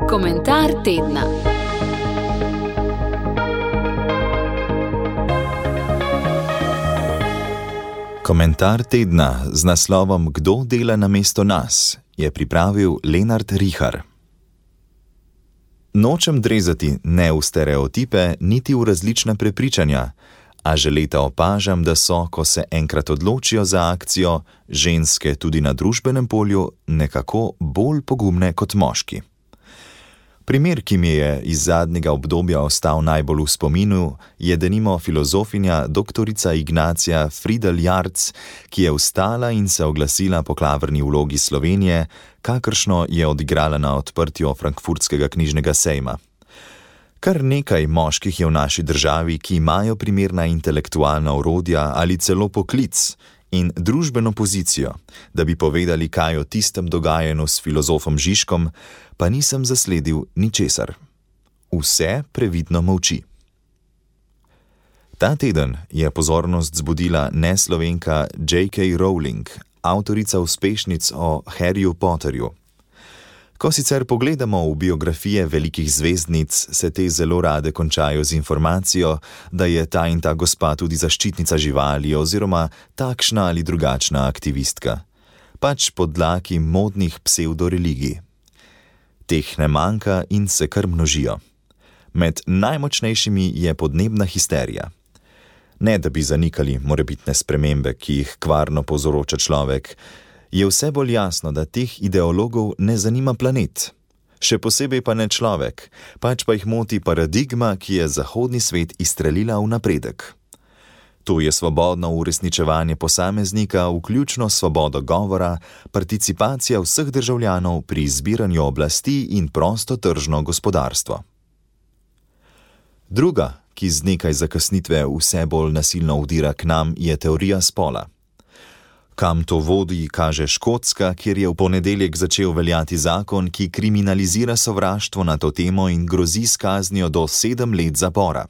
Komentar tedna. Komentar tedna z naslovom Kdo dela namesto nas je pripravil Lenart Rihar. Nočem drezati ne v stereotipe, niti v različna prepričanja, a že leta opažam, da so, ko se enkrat odločijo za akcijo, ženske tudi na družbenem polju nekako bolj pogumne kot moški. Primer, ki mi je iz zadnjega obdobja ostal najbolj v spominu, je denimo filozofinja doktorica Ignacija Friedel Jarc, ki je vstala in se oglasila po klavrni vlogi Slovenije, kakršno je odigrala na odprtju frankfurtskega knjižnega sejma. Kar nekaj moških je v naši državi, ki imajo primerna intelektualna orodja ali celo poklic in družbeno pozicijo, da bi povedali kaj o tistem dogajanju s filozofom Žižkom, pa nisem zasledil ničesar. Vse previdno molči. Ta teden je pozornost zbudila neslovenka J.K. Rowling, avtorica uspešnic o Harryju Potterju. Ko sicer pogledamo v biografije velikih zvezdnic, se te zelo rade končajo z informacijo, da je ta in ta gospa tudi zaščitnica živali oziroma takšna ali drugačna aktivistka. Pač pod dlaki modnih psevdoreligij. Teh ne manjka in se kar množijo. Med najmočnejšimi je podnebna histerija. Ne da bi zanikali morebitne spremembe, ki jih kvarno povzroča človek, je vse bolj jasno, da teh ideologov ne zanima planet. Še posebej pa ne človek, pač pa jih moti paradigma, ki je zahodni svet izstrelila v napredek. To je svobodno uresničevanje posameznika, vključno svobodo govora, participacija vseh državljanov pri izbiranju oblasti in prostotržno gospodarstvo. Druga, ki z nekaj zakasnitve vse bolj nasilno vdira k nam, je teorija spola. Kam to vodi, kaže Škotska, kjer je v ponedeljek začel veljati zakon, ki kriminalizira sovraštvo na to temo in grozi s kaznijo do 7 let zapora.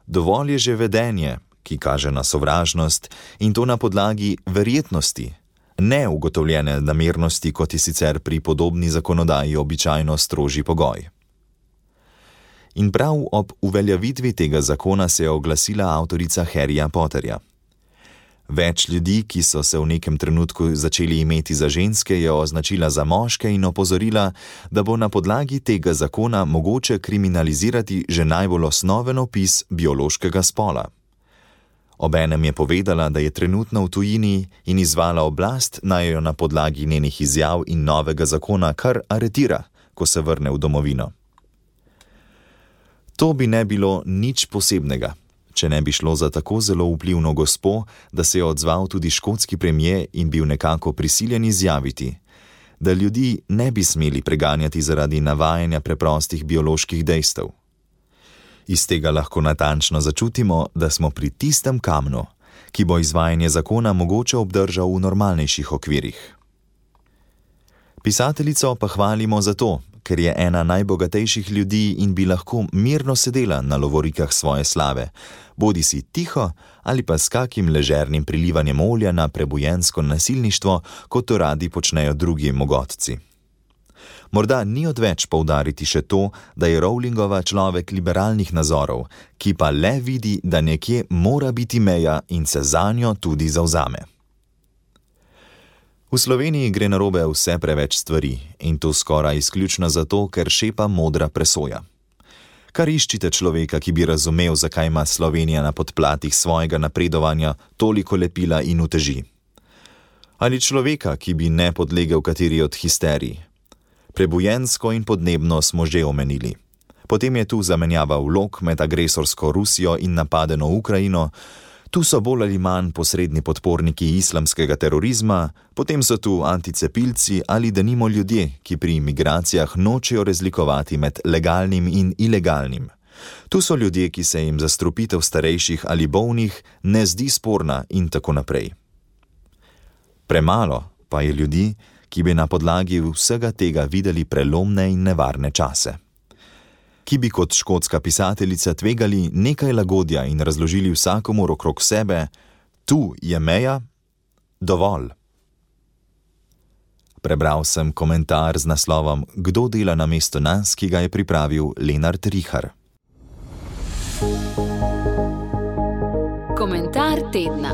Dovolj je že vedenje, ki kaže na sovražnost, in to na podlagi verjetnosti, ne ugotovljene namernosti, kot je sicer pri podobni zakonodaji običajno strožji pogoj. In prav ob uveljavitvi tega zakona se je oglasila avtorica Harryja Potterja. Več ljudi, ki so se v nekem trenutku začeli imeti za ženske, je označila za moške in opozorila, da bo na podlagi tega zakona mogoče kriminalizirati že najbolj osnoven opis biološkega spola. Obenem je povedala, da je trenutno v tujini in izvala oblast, naj jo na podlagi njenih izjav in novega zakona kar aretira, ko se vrne v domovino. To bi ne bilo nič posebnega, če ne bi šlo za tako zelo vplivno gospo, da se je odzval tudi škotski premier in bil nekako prisiljen izjaviti, da ljudi ne bi smeli preganjati zaradi navajanja preprostih bioloških dejstev. Iz tega lahko natančno začutimo, da smo pri tistem kamnu, ki bo izvajanje zakona mogoče obdržal v normalnejših okvirih. Pisateljico pa hvalimo zato, ker je ena najbogatejših ljudi in bi lahko mirno sedela na lovorikah svoje slave, bodisi tiho ali pa s kakim ležernim prilivanjem olja na prebujensko nasilništvo, kot to radi počnejo drugi mogotci. Morda ni odveč poudariti še to, da je Rowlingova človek liberalnih nazorov, ki pa le vidi, da nekje mora biti meja in se zanjo tudi zavzame. V Sloveniji gre narobe vse preveč stvari in to skoraj izključno zato, ker šepa modra presoja. Kar iščite človeka, ki bi razumel, zakaj ima Slovenija na podplatih svojega napredovanja toliko lepila in uteži. Ali človeka, ki bi ne podlegel kateri od histerij. Prebujensko in podnebno smo že omenili. Potem je tu zamenjava vlog med agresorsko Rusijo in napadeno Ukrajino, tu so bolj ali manj posredni podporniki islamskega terorizma, potem so tu anticepilci ali denimo ljudje, ki pri migracijah nočejo razlikovati med legalnim in ilegalnim. Tu so ljudje, ki se jim zastrupitev starejših ali bolnih ne zdi sporna in tako naprej. Premalo pa je ljudi, ki bi na podlagi vsega tega videli prelomne in nevarne čase. Ki bi kot škotska pisateljica tvegali nekaj lagodja in razložili vsakomur okrog sebe, tu je meja, dovolj. Prebral sem komentar z naslovom Kdo dela namesto nas, ki ga je pripravil Lenart Rihar. Komentar tedna.